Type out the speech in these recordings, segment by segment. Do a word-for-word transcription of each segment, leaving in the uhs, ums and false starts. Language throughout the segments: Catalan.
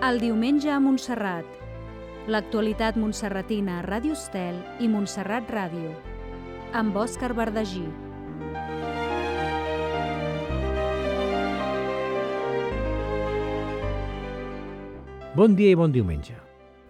El diumenge a Montserrat. L'actualitat montserratina a Ràdio Estel i Montserrat Ràdio. Amb Òscar Verdagí. Bon dia i bon diumenge.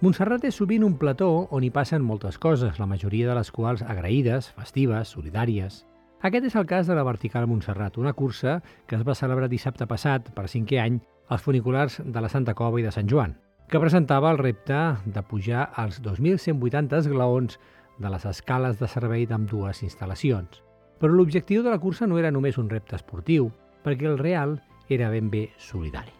Montserrat és sovint un plató on hi passen moltes coses, la majoria de les quals agraïdes, festives, solidàries. Aquest és el cas de la Vertical Montserrat, una cursa que es va celebrar dissabte passat, per cinquè any, als funiculars de la Santa Cova i de Sant Joan, que presentava el repte de pujar als dos mil cent vuitanta esglaons de les escales de servei d'ambdues instal·lacions. Però l'objectiu de la cursa no era només un repte esportiu, perquè el real era ben bé solidari.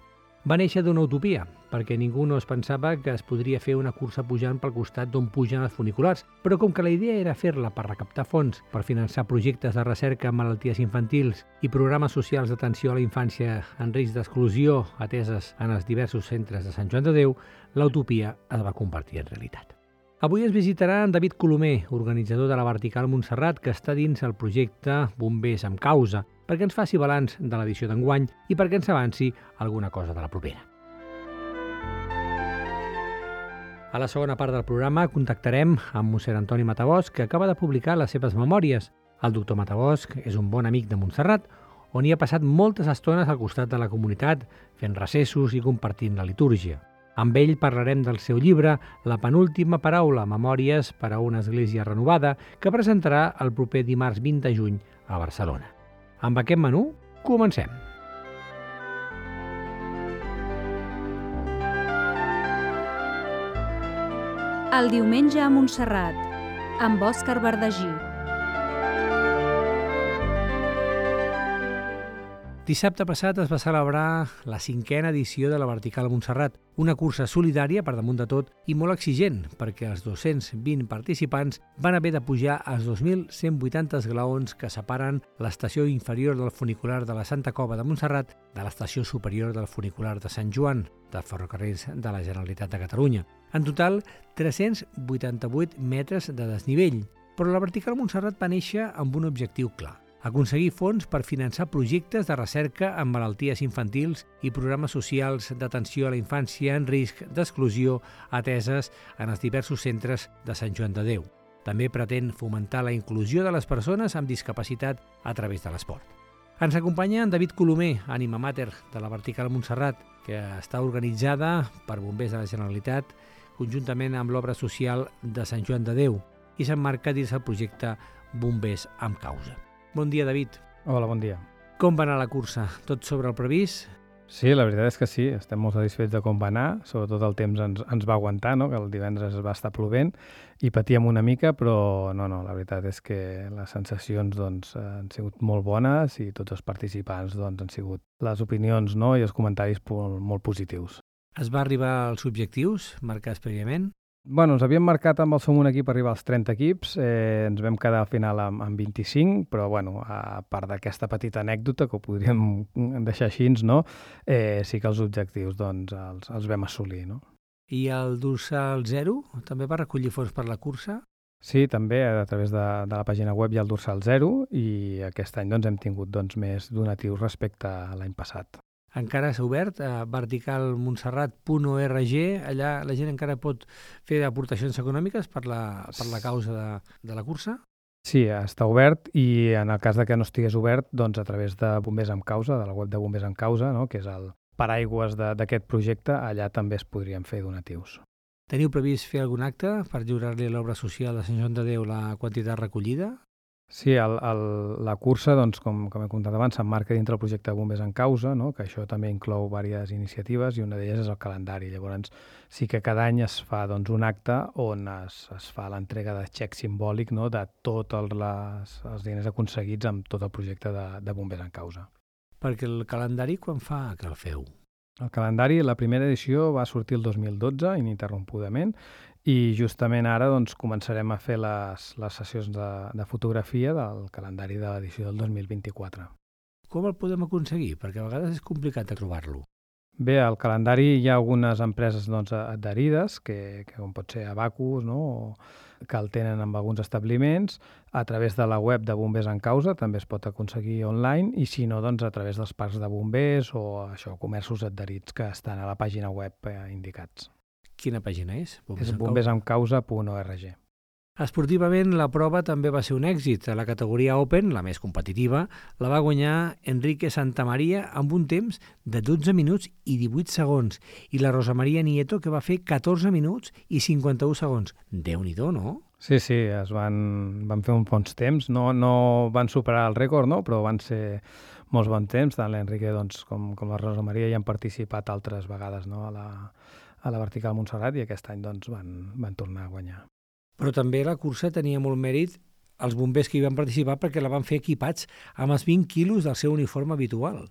Va néixer d'una utopia, perquè ningú no es pensava que es podria fer una cursa pujant pel costat d'on pugen els funiculars, però com que la idea era fer-la per recaptar fons per finançar projectes de recerca en malalties infantils i programes socials d'atenció a la infància en risc d'exclusió ateses en els diversos centres de Sant Joan de Déu, l'utopia es va convertir en realitat. Avui ens visitarà en David Colomer, organitzador de la Vertical Montserrat, que està dins el projecte Bombers amb Causa, perquè ens faci balanç de l'edició d'enguany i perquè ens avanci alguna cosa de la propera. A la segona part del programa contactarem amb mossèn Antoni Matabosch, que acaba de publicar les seves memòries. El doctor Matabosch és un bon amic de Montserrat, on hi ha passat moltes estones al costat de la comunitat, fent recessos i compartint la litúrgia. Amb ell parlarem del seu llibre La penúltima paraula, memòries per a una església renovada, que presentarà el proper dimarts vint de juny a Barcelona. Amb aquest menú, comencem. El diumenge a Montserrat, amb Òscar Verdagí. Dissabte passat es va celebrar la cinquena edició de la Vertical Montserrat, una cursa solidària per damunt de tot i molt exigent, perquè els dos-cents vint participants van haver de pujar als dos mil cent vuitanta esglaons que separen l'estació inferior del funicular de la Santa Cova de Montserrat de l'estació superior del funicular de Sant Joan, dels ferrocarrils de la Generalitat de Catalunya. En total, tres-cents vuitanta-vuit metres de desnivell, però la Vertical Montserrat va néixer amb un objectiu clar: aconseguir fons per finançar projectes de recerca en malalties infantils i programes socials d'atenció a la infància en risc d'exclusió ateses en els diversos centres de Sant Joan de Déu. També pretén fomentar la inclusió de les persones amb discapacitat a través de l'esport. Ens acompanya en David Colomer, ànima mater de la Vertical Montserrat, que està organitzada per Bombers de la Generalitat conjuntament amb l'obra social de Sant Joan de Déu i s'emmarca dins el projecte Bombers amb Causa. Bon dia, David. Hola, bon dia. Com va anar la cursa? Tot sobre el previst? Sí, la veritat és que sí, estem molt satisfets de com va anar, sobretot el temps ens, ens va aguantar, no? Que el divendres es va estar plovent i patíem una mica, però no, no, la veritat és que les sensacions doncs, han sigut molt bones i tots els participants doncs, han sigut les opinions, no? I els comentaris molt, molt positius. Es va arribar als objectius marcats prèviament? Bueno, ens havíem marcat amb el Som un equip arribar als trenta equips, eh, ens vam quedar al final amb, amb vint-i-cinc, però bueno, a part d'aquesta petita anècdota, que ho podríem deixar així, no? eh, sí que els objectius doncs, els, els vam assolir. No? I el Dorsal Zero també va recollir fons per la cursa? Sí, també a través de, de la pàgina web hi ha el Dorsal Zero i aquest any doncs, hem tingut doncs, més donatius respecte a l'any passat. Encara s'ha obert a vertical montserrat punt org, allà la gent encara pot fer aportacions econòmiques per la, per la causa de, de la cursa? Sí, està obert i en el cas de que no estigués obert, doncs a través de Bombers amb Causa, de la web de Bombers amb Causa, no? Que és el paraigües d'aquest projecte, allà també es podrien fer donatius. Teniu previst fer algun acte per lliurar-li a l'obra social de Sant Joan de Déu la quantitat recollida? Sí, el, el, la cursa, doncs, com, com he comentat abans, s'emmarca dintre el projecte de Bombers en Causa, no? Que això també inclou diverses iniciatives i una d'elles és el calendari. Llavors, sí que cada any es fa doncs, un acte on es, es fa l'entrega de xec simbòlic, no? De tots els, els diners aconseguits amb tot el projecte de, de Bombers en Causa. Perquè el calendari quan fa que el feu? El calendari, la primera edició va sortir el dos mil dotze, ininterrompudament, i justament ara doncs, començarem a fer les, les sessions de, de fotografia del calendari de l'edició del dos mil vint-i-quatre. Com el podem aconseguir? Perquè a vegades és complicat de trobar-lo. Bé, al calendari hi ha algunes empreses doncs, adherides, que, que com pot ser Abacus, no? o, que el tenen en alguns establiments, a través de la web de Bombers en Causa també es pot aconseguir online, i si no, doncs a través dels parcs de bombers o això, comerços adherits que estan a la pàgina web eh, indicats. Quina pàgina és? És bombers en causa punt org. Esportivament, la prova també va ser un èxit. A la categoria Open, la més competitiva, la va guanyar Enrique Santamaria amb un temps de dotze minuts i divuit segons, i la Rosa Maria Nieto, que va fer catorze minuts i cinquanta-un segons. Déu-n'hi-do, no? Sí, sí, es van, van fer uns bons temps. No, no van superar el rècord, no? Però van ser molts bons temps. Tant l'Enrique doncs, com, com la Rosa Maria ja han participat altres vegades, no? a, la, a la Vertical Montserrat, i aquest any doncs, van, van tornar a guanyar. Però també la cursa tenia molt mèrit els bombers que hi van participar perquè la van fer equipats amb els vint quilos del seu uniforme habitual.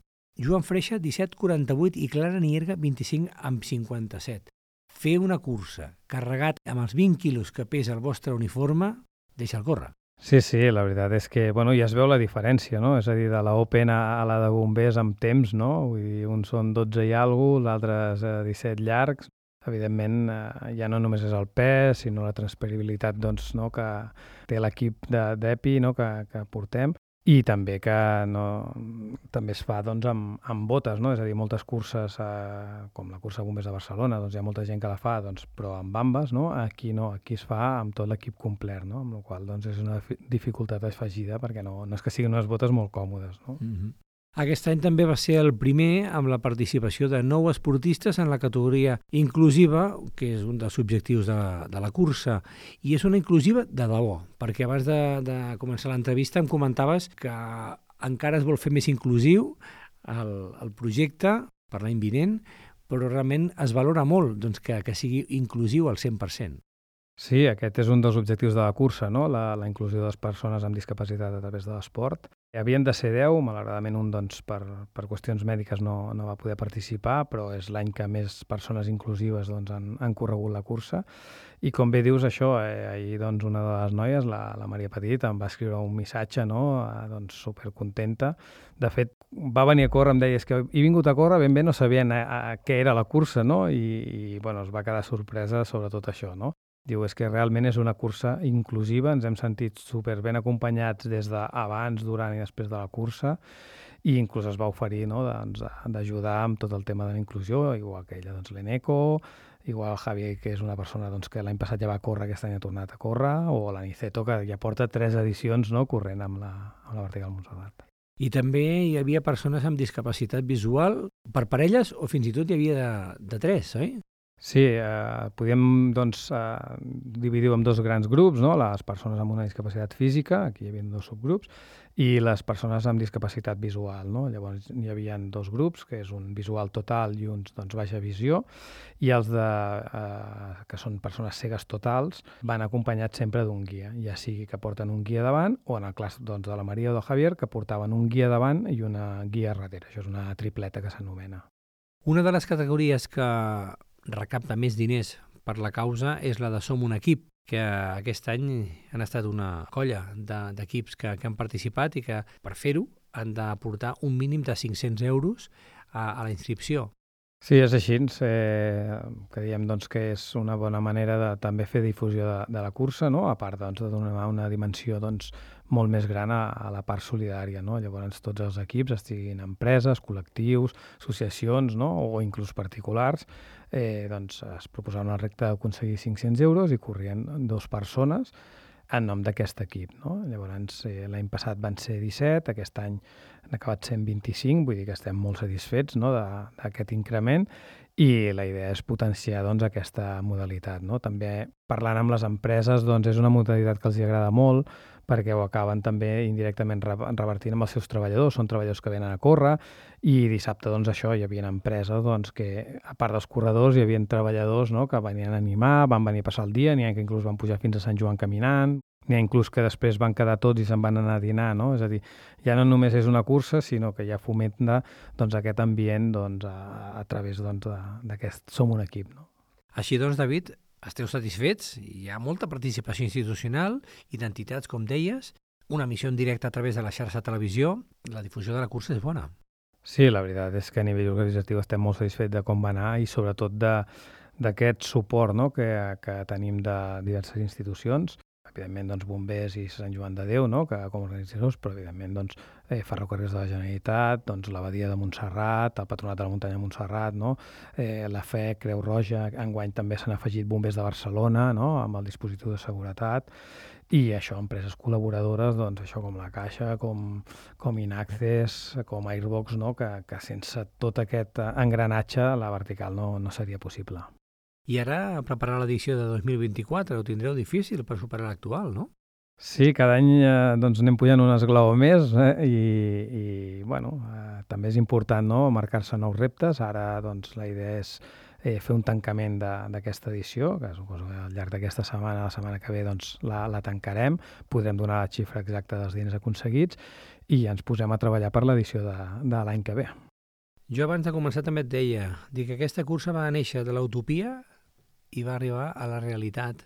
Joan Freixa, disset coma quaranta-vuit, i Clara Nierga, vint-i-cinc coma cinquanta-set. Fer una cursa carregat amb els vint quilos que pesa el vostre uniforme, deixa'l córrer. Sí, sí, la veritat és que bueno, ja es veu la diferència, no? És a dir, de la Open a, a la de bombers amb temps, no? Vull dir, uns són dotze i alguna cosa, l'altre és disset llargs. Evidentment, eh, ja no només és el pes, sinó la transpirabilitat doncs, no, que té l'equip d'EPI, no, que, que portem, i també que no, també es fa doncs, amb, amb botes, no? És a dir, moltes curses, eh, com la cursa Bombers de Barcelona, doncs, hi ha molta gent que la fa, doncs, però amb bambes, no? Aquí no, aquí es fa amb tot l'equip complet, no? Amb la qual doncs, és una dificultat afegida, perquè no, no és que siguin unes botes molt còmodes, no? Mm-hmm. Aquest any també va ser el primer amb la participació de nou esportistes en la categoria inclusiva, que és un dels objectius de, de la cursa, i és una inclusiva de debò, perquè abans de, de començar l'entrevista em comentaves que encara es vol fer més inclusiu el, el projecte per l'any vinent, però realment es valora molt doncs, que, que sigui inclusiu al cent per cent. Sí, aquest és un dels objectius de la cursa, no? la, la inclusió de les persones amb discapacitat a través de l'esport. Havien de ser deu, malauradament un doncs, per, per qüestions mèdiques no, no va poder participar, però és l'any que més persones inclusives doncs, han, han corregut la cursa. I com bé dius això, eh, ahir doncs, una de les noies, la, la Maria Petit, em va escriure un missatge, no? eh, doncs, supercontenta. De fet, va venir a córrer, em deia, és que he vingut a córrer, ben bé no sabien a, a què era la cursa, no? I, i bueno, es va quedar sorpresa sobre tot això, no? Diu, és que realment és una cursa inclusiva, ens hem sentit super ben acompanyats des d'abans, durant i després de la cursa, i inclús es va oferir no, doncs, d'ajudar amb tot el tema de la inclusió, igual que ella, doncs, l'Eneco, igual el Javier, que és una persona doncs, que l'any passat ja va córrer, aquest any ha tornat a córrer, o l'Aniceto, que ja porta tres edicions no, corrent amb la, amb la Vertical Montserrat. I també hi havia persones amb discapacitat visual per parelles, o fins i tot hi havia de, de tres, oi? Sí, eh, podíem doncs, eh, dividir-ho en dos grans grups, no? Les persones amb una discapacitat física, aquí hi havia dos subgrups, i les persones amb discapacitat visual. No? Llavors hi havia dos grups, que és un visual total i uns doncs, baixa visió, i els de, eh, que són persones cegues totals van acompanyats sempre d'un guia, ja sigui que porten un guia davant, o en el cas doncs, de la Maria o del Javier, que portaven un guia davant i una guia darrere. Això és una tripleta que s'anomena. Una de les categories que recapta més diners per la causa és la de Som un equip, que aquest any han estat una colla d'equips de, que, que han participat i que per fer-ho han d'aportar un mínim de cinc-cents euros a, a la inscripció. Sí, és així. Eh, creiem doncs, que és una bona manera de també fer difusió de, de la cursa, no? A part doncs, de donar una dimensió doncs, molt més gran a, a la part solidària. No? Llavors tots els equips, estiguin empreses, col·lectius, associacions no? O inclús particulars, eh, doncs, es proposaven el repte d'aconseguir cinc-cents euros i corrien dues persones en nom d'aquest equip. No? Llavors, eh, l'any passat van ser disset, aquest any han acabat sent vint-i-cinc, vull dir que estem molt satisfets no? d'aquest increment, i la idea és potenciar doncs, aquesta modalitat. No? També parlant amb les empreses doncs, és una modalitat que els agrada molt, perquè ho acaben també indirectament revertint amb els seus treballadors. Són treballadors que venen a córrer, i dissabte doncs, això hi havia empreses doncs, que, a part dels corredors, hi havia treballadors no? que venien a animar, van venir a passar el dia, n'hi ha que inclús van pujar fins a Sant Joan caminant, n'hi ha inclús que després van quedar tots i se'n van anar a dinar. No? És a dir, ja no només és una cursa, sinó que ja fomenta doncs, aquest ambient doncs, a, a través doncs, d'aquest Som un equip. No? Així doncs, David, esteu satisfets? Hi ha molta participació institucional i d'entitats, com deies, una emissió en directe a través de la xarxa de televisió. La difusió de la cursa és bona. Sí, la veritat és que a nivell organitzatiu estem molt satisfets de com va anar i sobretot de, d'aquest suport, no?, que, que tenim de diverses institucions, evidentment, doncs, Bombers i Sant Joan de Déu, no?, que com a organitzadors, però evidentment, doncs, eh, Ferrocarrils de la Generalitat, doncs, la Badia de Montserrat, el Patronat de la Muntanya de Montserrat, no?, eh, la F E, Creu Roja, enguany també s'han afegit Bombers de Barcelona, no?, amb el dispositiu de seguretat, i això, empreses col·laboradores, doncs, això com la Caixa, com, com Inaccess, com Airbox, no?, que, que sense tot aquest engranatge la vertical no, no seria possible. I ara, a preparar l'edició de dos mil vint-i-quatre, ho tindreu difícil per superar l'actual, no? Sí, cada any eh, doncs anem pujant un esglaó més eh, i, i bueno, eh, també és important, no?, marcar-se nous reptes. Ara doncs, la idea és eh, fer un tancament d'aquesta edició, que suposo que al llarg d'aquesta setmana, la setmana que ve, doncs, la, la tancarem, podrem donar la xifra exacta dels diners aconseguits i ens posem a treballar per l'edició de, de l'any que ve. Jo abans de començar també et deia, dic que aquesta cursa va néixer de l'utopia i va arribar a la realitat,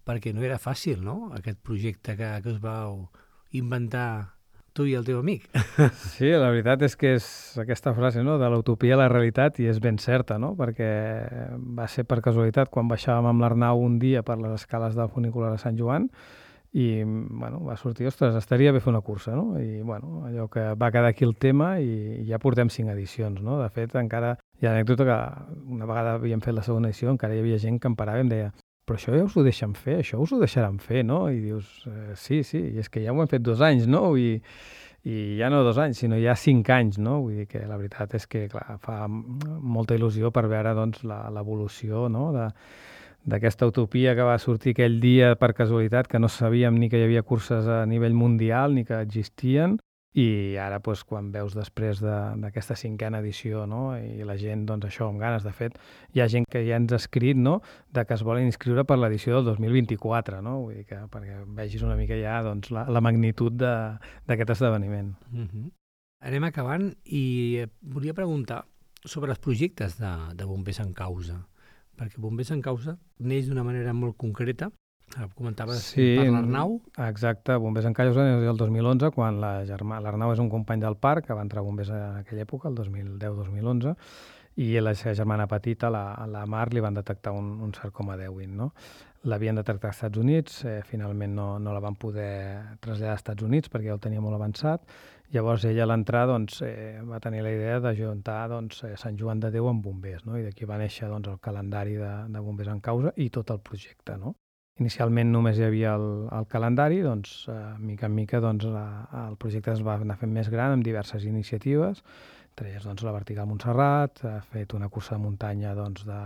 perquè no era fàcil, no?, aquest projecte que, que us vau inventar tu i el teu amic. Sí, la veritat és que és aquesta frase, no?, de l'utopia a la realitat, i és ben certa, no?, perquè va ser per casualitat quan baixàvem amb l'Arnau un dia per les escales del funicular de Sant Joan i, bueno, va sortir, ostres, estaria bé fer una cursa, no?, i, bueno, allò que va quedar aquí el tema i ja portem cinc edicions, no?, de fet, encara hi ha anècdota que una vegada havíem fet la segona edició, encara hi havia gent que em parava i em deia però això ja us ho deixen fer, això us ho deixaran fer, no? I dius, eh, sí, sí, i és que ja ho hem fet dos anys, no? I, i ja no dos anys, sinó ja cinc anys, no? Vull dir que la veritat és que, clar, fa molta il·lusió per veure, doncs, l'evolució, no?, de, d'aquesta utopia que va sortir aquell dia per casualitat, que no sabíem ni que hi havia curses a nivell mundial ni que existien, i ara, doncs, quan veus després d'aquesta de, cinquena edició, no?, i la gent, doncs, això, amb ganes, de fet, hi ha gent que ja ens ha escrit, no?, de que es volen inscriure per l'edició del dos mil vint-i-quatre, no?, vull dir que perquè vegis una mica ja, doncs, la, la magnitud d'aquest esdeveniment. Uh-huh. Anem acabant i volia preguntar sobre els projectes de, de Bombers en Causa, perquè Bombers en Causa neix d'una manera molt concreta. Comentaves sí, per l'Arnau. Exacte, Bombers en Causa és el dos mil onze, quan la germà, l'Arnau és un company del parc, que va entrar a Bombers en aquella època, el dos mil deu dos mil onze, i la seva germana petita, la, la Mar, li van detectar un, un sarcoma d'Ewing, no? L'havien detectat als Estats Units, eh, finalment no, no la van poder traslladar als Estats Units perquè ja el tenia molt avançat. Llavors ella a l'entrar, doncs, eh, va tenir la idea d'ajuntar, doncs, eh, Sant Joan de Déu amb Bombers, no? I d'aquí va néixer, doncs, el calendari de, de Bombers en Causa i tot el projecte, no? Inicialment només hi havia el, el calendari, doncs, eh, mica en mica, doncs, la, el projecte es va anar fent més gran amb diverses iniciatives, entre elles, doncs, la Vertical Montserrat, ha fet una cursa de muntanya, doncs, de,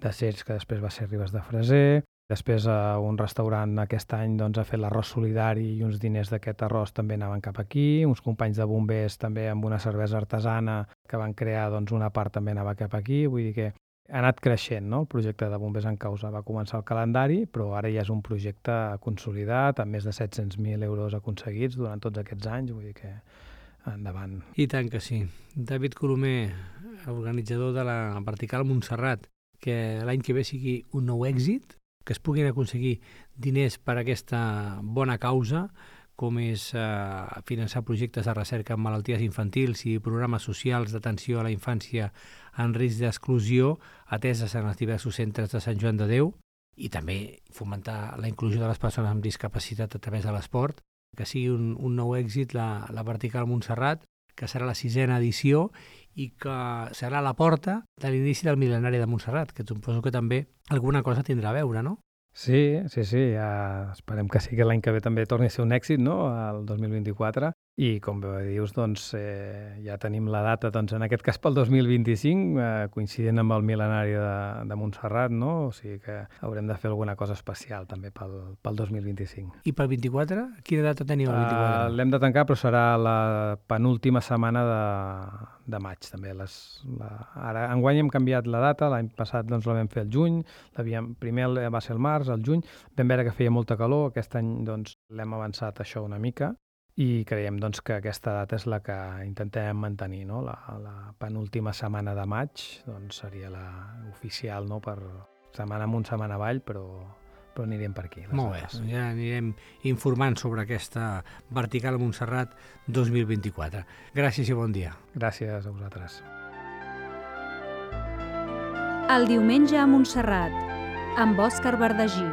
de Cercs, que després va ser Ribes de Freser, després eh, un restaurant aquest any, doncs, ha fet l'arròs solidari i uns diners d'aquest arròs també anaven cap aquí, uns companys de bombers també amb una cervesa artesana que van crear, doncs, una part també anava cap aquí, vull dir que ha anat creixent, no?, el projecte de Bombers en Causa. Va començar el calendari, però ara ja és un projecte consolidat, amb més de set-cents mil euros aconseguits durant tots aquests anys, vull dir que endavant. I tant que sí. David Colomer, organitzador de la Vertical Montserrat, que l'any que ve sigui un nou èxit, que es puguin aconseguir diners per a aquesta bona causa, com és eh, finançar projectes de recerca en malalties infantils i programes socials d'atenció a la infància en risc d'exclusió ateses en els diversos centres de Sant Joan de Déu, i també fomentar la inclusió de les persones amb discapacitat a través de l'esport, que sigui un, un nou èxit la, la Vertical Montserrat, que serà la sisena edició i que serà la porta de l'inici del mil·lenari de Montserrat, que suposo que també alguna cosa tindrà a veure, no? Sí, sí, sí, ja esperem que sí que l'any que ve també torni a ser un èxit, no?, el dos mil vint-i-quatre, i com bé dius, doncs, eh, ja tenim la data, doncs, en aquest cas pel dos mil vint-i-cinc, eh, coincidint amb el mil·lenari de, de Montserrat, no?, o sigui que haurem de fer alguna cosa especial també pel, pel dos mil vint-i-cinc. I pel vint-i-quatre? Quina data teniu el vint-i-quatre? Uh, L'hem de tancar, però serà la penúltima setmana de, de maig, també. Les, la, ara, enguany hem canviat la data, l'any passat doncs, la vam fer el juny, primer va ser el març, el juny, vam veure que feia molta calor, aquest any doncs, l'hem avançat això una mica, i creiem doncs, que aquesta data és la que intentem mantenir, no? La, la penúltima setmana de maig doncs, seria la oficial, no? Per setmana amunt, setmana avall, però, però anirem per aquí. Molt bé, ja anirem informant sobre aquesta Vertical Montserrat dos mil vint-i-quatre. Gràcies i bon dia. Gràcies a vosaltres. El diumenge a Montserrat, amb Òscar Verdagí.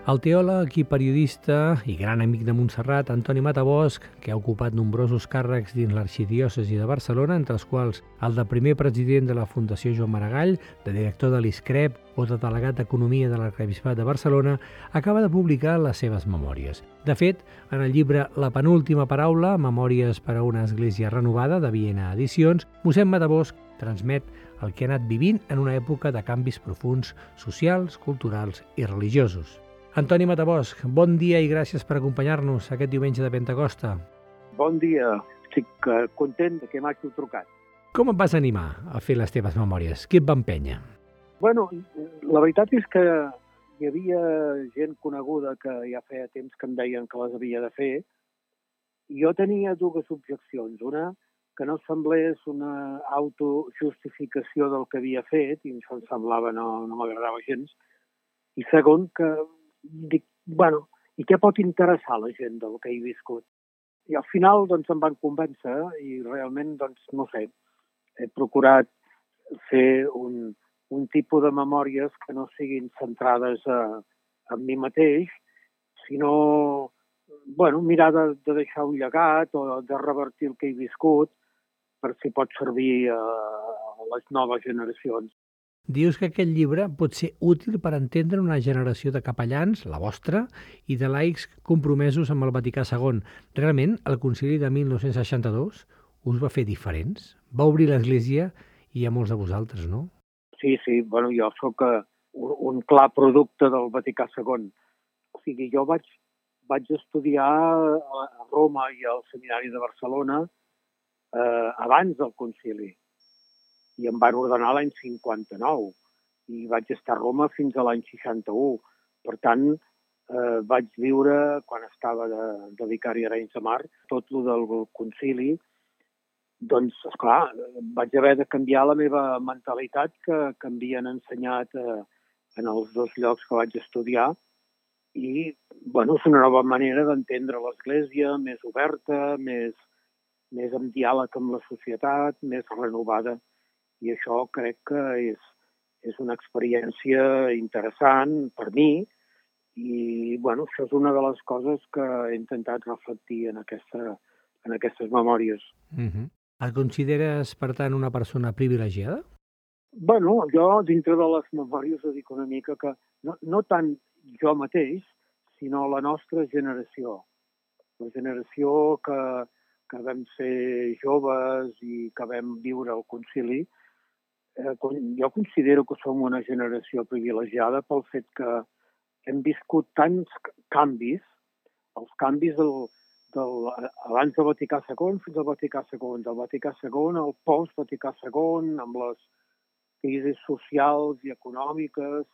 El teòleg i periodista i gran amic de Montserrat, Antoni Matabosch, que ha ocupat nombrosos càrrecs dins l'arxidiòcesi de Barcelona, entre els quals el de primer president de la Fundació Joan Maragall, de director de l'ISCREP o de delegat d'Economia de l'Arquebisbat de Barcelona, acaba de publicar les seves memòries. De fet, en el llibre La penúltima paraula, Memòries per a una església renovada, de Viena Edicions, mossèn Matabosch transmet el que ha anat vivint en una època de canvis profunds socials, culturals i religiosos. Antoni Matabosch, bon dia i gràcies per acompanyar-nos aquest diumenge de Pentecosta. Bon dia, estic content que m'hagi trucat. Com et vas animar a fer les teves memòries? Qui et va empènyer? Bueno, la veritat és que hi havia gent coneguda que ja feia temps que em deien que les havia de fer, i jo tenia dues objeccions. Una, que no semblés una autojustificació del que havia fet, i això em semblava, no, no m'agradava gens. I segon, que dic, bueno, i què pot interessar a la gent del que he viscut? I al final, doncs, em van convèncer i realment, doncs, no sé, he procurat fer un, un tipus de memòries que no siguin centrades a, en mi mateix, sinó, bueno, mirar de, de deixar un llegat o de revertir el que he viscut per si pot servir a, a les noves generacions. Dius que aquest llibre pot ser útil per entendre una generació de capellans, la vostra, i de laics compromesos amb el Vaticà segon. Realment, el concili de mil nou-cents seixanta-dos us va fer diferents? Va obrir l'Església i a molts de vosaltres, no? Sí, sí, bueno, jo sóc un, un clar producte del Vaticà segon. O sigui, jo vaig, vaig estudiar a Roma i al Seminari de Barcelona eh, abans del concili. I em van ordenar l'any cinquanta-nou i vaig estar a Roma fins a l'any seixanta-u. Per tant, eh, vaig viure, quan estava de, de vicari a Arenys de Mar, tot el del concili. Doncs, esclar, vaig haver de canviar la meva mentalitat que, que em havien ensenyat eh, en els dos llocs que vaig estudiar. I, bueno, és una nova manera d'entendre l'Església, més oberta, més, més en diàleg amb la societat, més renovada. I això crec que és, és una experiència interessant per mi i, bueno, això és una de les coses que he intentat reflectir en, aquesta, en aquestes memòries. Uh-huh. Et consideres, per tant, una persona privilegiada? Bueno, jo, dintre de les memòries, ho dic una mica que no, no tant jo mateix, sinó la nostra generació. La generació que, que vam ser joves i que vam viure el concili. Eh, jo considero que som una generació privilegiada pel fet que hem viscut tants canvis, els canvis del, del, abans del Vaticà segon fins al Vaticà segon, del Vaticà segon al post-Vaticà segon, amb les crisis socials i econòmiques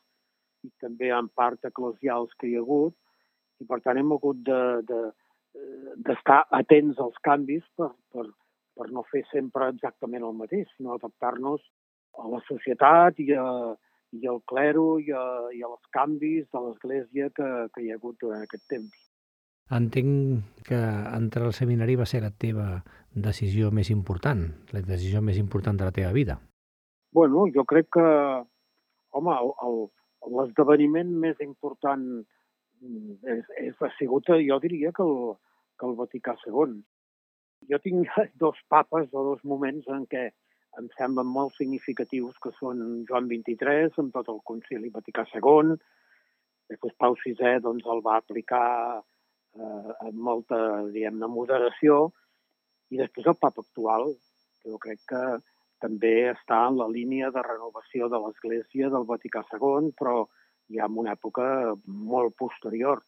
i també en part eclesials que hi ha hagut, i per tant hem hagut de, de, d'estar atents als canvis per, per, per no fer sempre exactament el mateix, sinó adaptar-nos a la societat i, a, i al clero i, a, i als canvis de l'Església que, que hi ha hagut durant aquest temps. Entenc que entrar al seminari va ser la teva decisió més important, la decisió més important de la teva vida. Bueno, jo crec que, home, el, l'esdeveniment més important és, és, ha sigut, jo diria, que el, que el Vaticà segon. Jo tinc dos papes o dos moments en què em semblen molt significatius, que són Joan vint-i-tres, amb tot el concili Vaticà segon. Després Pau sisè doncs, el va aplicar eh, amb molta, diguem-ne, moderació. I després el papa actual, que jo crec que també està en la línia de renovació de l'Església del Vaticà segon, però ja en una època molt posterior.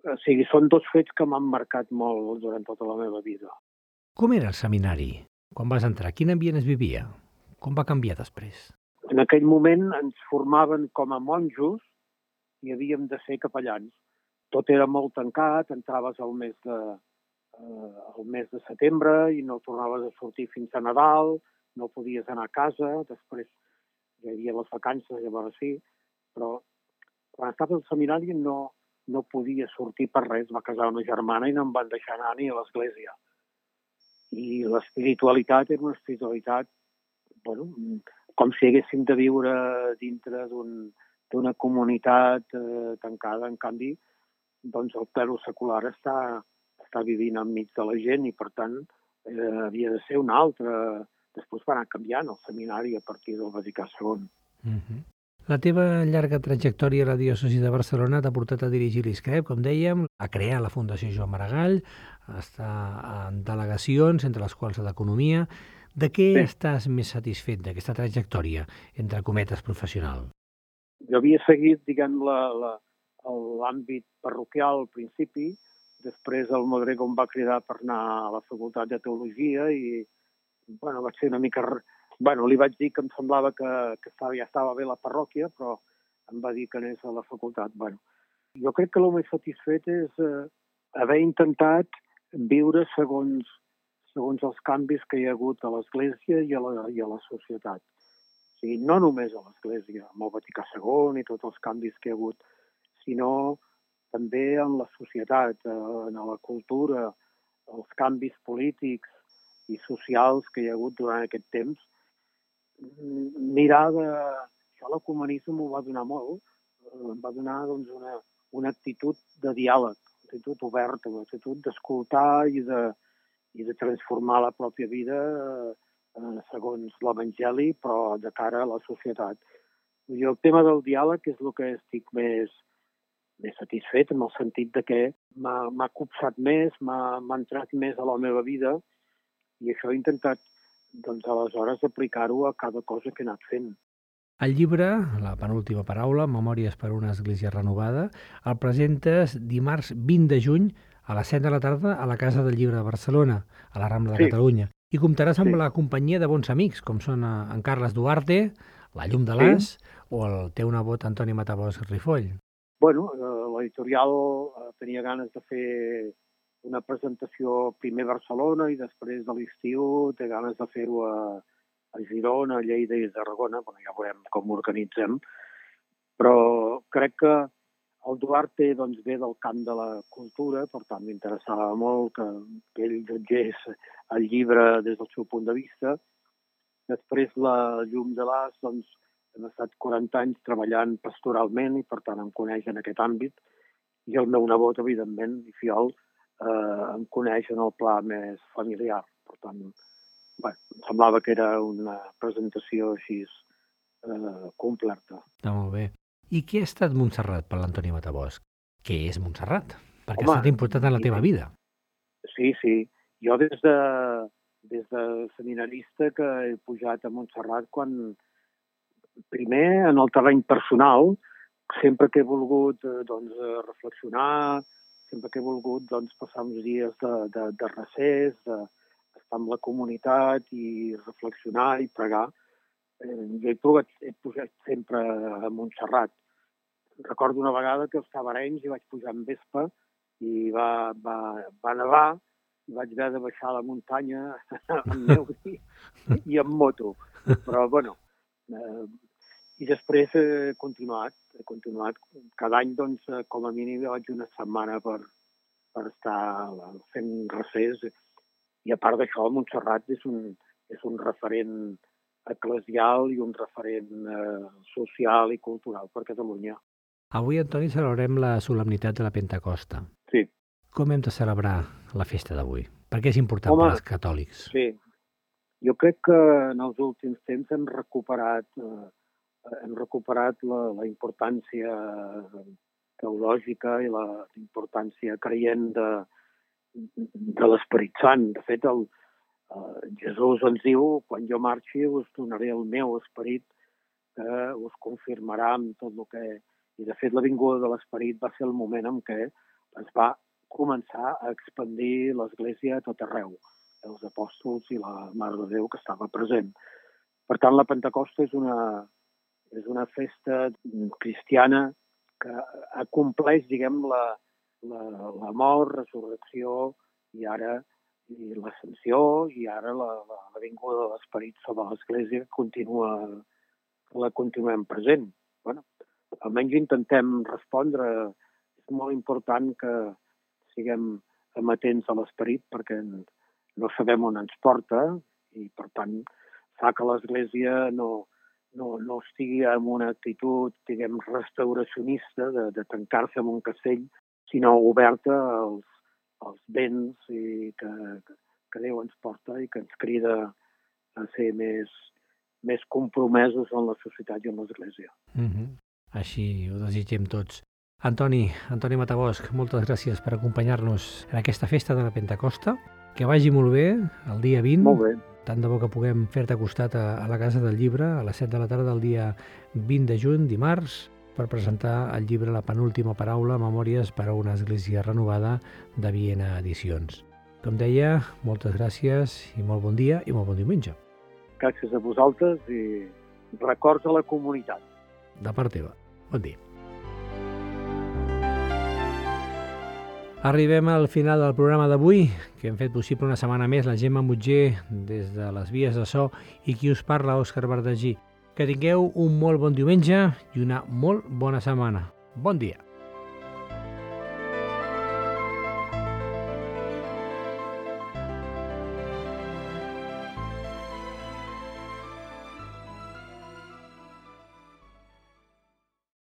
O sigui, són dos fets que m'han marcat molt durant tota la meva vida. Com era el seminari? Quan vas entrar, quin ambient es vivia? Com va canviar després? En aquell moment ens formaven com a monjos i havíem de ser capellans. Tot era molt tancat, entraves al mes de, eh, al mes de setembre i no tornaves a sortir fins a Nadal, no podies anar a casa, després hi havia les vacances, llavors sí, però quan estava al seminari no, no podia sortir per res. Va casar una germana i no em van deixar anar ni a l'església. I l'espiritualitat era una espiritualitat, bueno, com si haguéssim de viure dintre d'un, d'una comunitat eh, tancada. En canvi, doncs el clero secular està, està vivint enmig de la gent i, per tant, eh, havia de ser un altre. Després va anar canviant el seminari a partir del Vaticà segon. Mm-hmm. La teva llarga trajectòria a la diòcesi de Barcelona t'ha portat a dirigir l'I S C R E P, com dèiem, a crear la Fundació Joan Maragall, a estar en delegacions, entre les quals d'Economia. De què sí. estàs més satisfet d'aquesta trajectòria, entre cometes, professional? Jo havia seguit, diguem, la, la, l'àmbit parroquial al principi, després el Modrego em va cridar per anar a la Facultat de Teologia i, bueno, vaig ser una mica... Bueno, li vaig dir que em semblava que, que estava, ja estava bé la parròquia, però em va dir que anés a la facultat. Bueno, jo crec que el més satisfet és eh, haver intentat viure segons, segons els canvis que hi ha hagut a l'Església i a la, i a la societat. O sigui, no només a l'Església, amb el Vaticà segon i tots els canvis que hi ha hagut, sinó també en la societat, en la cultura, els canvis polítics i socials que hi ha hagut durant aquest temps. Mirar de... Això l'ecumenisme m'ho va donar molt, em va donar doncs, una, una actitud de diàleg, una actitud oberta, una actitud d'escoltar i de, i de transformar la pròpia vida eh, segons l'Evangeli, però de cara a la societat. I el tema del diàleg és el que estic més, més satisfet, en el sentit de que m'ha, m'ha copsat més, m'ha, m'ha entrat més a la meva vida, i això he intentat doncs aleshores aplicar-ho a cada cosa que he anat fent. El llibre, la penúltima paraula, Memòries per una Església renovada, el presentes dimarts vint de juny a les set de la tarda a la Casa del Llibre de Barcelona, a la Rambla de sí. Catalunya. I comptaràs amb sí. la companyia de bons amics, com són en Carles Duarte, la Llum de l'As, sí. o el teu nebot Antoni Matabosc Rifoll. Bueno, l'editorial tenia ganes de fer una presentació primer a Barcelona i després de l'estiu té ganes de fer-ho a, a Girona, a Lleida i a Tarragona. Bueno, ja veurem com ho organitzem. Però crec que el Duarte doncs, ve del camp de la cultura, per tant m'interessava molt que, que ell jutgés el llibre des del seu punt de vista. Després la Llum de l'As, doncs, hem estat quaranta anys treballant pastoralment i per tant em coneix en aquest àmbit. I el meu nebot, evidentment, i fiol, Eh, em coneix en el pla més familiar. Per tant, bueno, em semblava que era una presentació així eh, completa. Està molt bé. I què ha estat Montserrat per l'Antoni Matabosc? Què és Montserrat? Perquè Home, ha estat important en la teva vida. Sí, sí. Jo des de, des de seminarista que he pujat a Montserrat quan, primer, en el terreny personal, sempre que he volgut eh, doncs, reflexionar, sempre que he volgut doncs, passar uns dies de, de, de recés, d'estar amb la comunitat i reflexionar i pregar. Eh, jo he, provat, he pujat sempre a Montserrat. Recordo una vegada que estava a Arenys i vaig pujar en Vespa i va, va, va nevar i vaig haver de baixar a la muntanya amb neu i, i amb moto. Però, bueno, eh, i després he continuat, he continuat. Cada any, doncs, com a mínim, vaig una setmana per, per estar fent recés. I a part d'això, Montserrat és un, és un referent eclesial i un referent eh, social i cultural per Catalunya. Avui, Antoni, celebrem la solemnitat de la Pentecosta. Sí. Com hem de celebrar la festa d'avui? Per què és important Home, per als catòlics? Sí. Jo crec que en els últims temps hem recuperat... Eh, hem recuperat la, la importància teològica i la importància creient de, de l'Esperit Sant. De fet, el, eh, Jesús ens diu, quan jo marxi us donaré el meu esperit que us confirmarà amb tot el que... I, de fet, la vinguda de l'Esperit va ser el moment en què es va començar a expandir l'Església a tot arreu, els apòstols i la Mare de Déu que estava present. Per tant, la Pentecosta és una... és una festa cristiana que acompleix, diguem, la, la, la mort, resurrecció i ara i l'ascensió i ara la, la, la vinguda de l'Esperit sobre l'Església que continua, que la continuem present. Bueno, almenys intentem respondre. És molt important que siguem amatents a l'Esperit perquè no sabem on ens porta i, per tant, fa que l'Església no, no, no estigui en una actitud, diguem, restauracionista de, de tancar-se en un castell, sinó oberta als, als béns i que, que Déu ens porta i que ens crida a ser més, més compromesos en la societat i en l'Església. Mm-hmm. Així ho desitgem tots. Antoni, Antoni Matabosc, moltes gràcies per acompanyar-nos en aquesta festa de la Pentecosta. Que vagi molt bé el dia vint. Molt bé. Tant de bo que puguem fer-te costat a, a la Casa del Llibre a les set de la tarda del dia vint de juny, dimarts, per presentar el llibre La penúltima paraula, Memòries per a una església renovada, de Viena Edicions. Com deia, moltes gràcies i molt bon dia i molt bon diumenge. Gràcies a vosaltres i records a la comunitat. De part teva. Bon dia. Arribem al final del programa d'avui, que hem fet possible una setmana més la Gemma Mutger des de les vies de so i qui us parla, Òscar Verdagí. Que tingueu un molt bon diumenge i una molt bona setmana. Bon dia.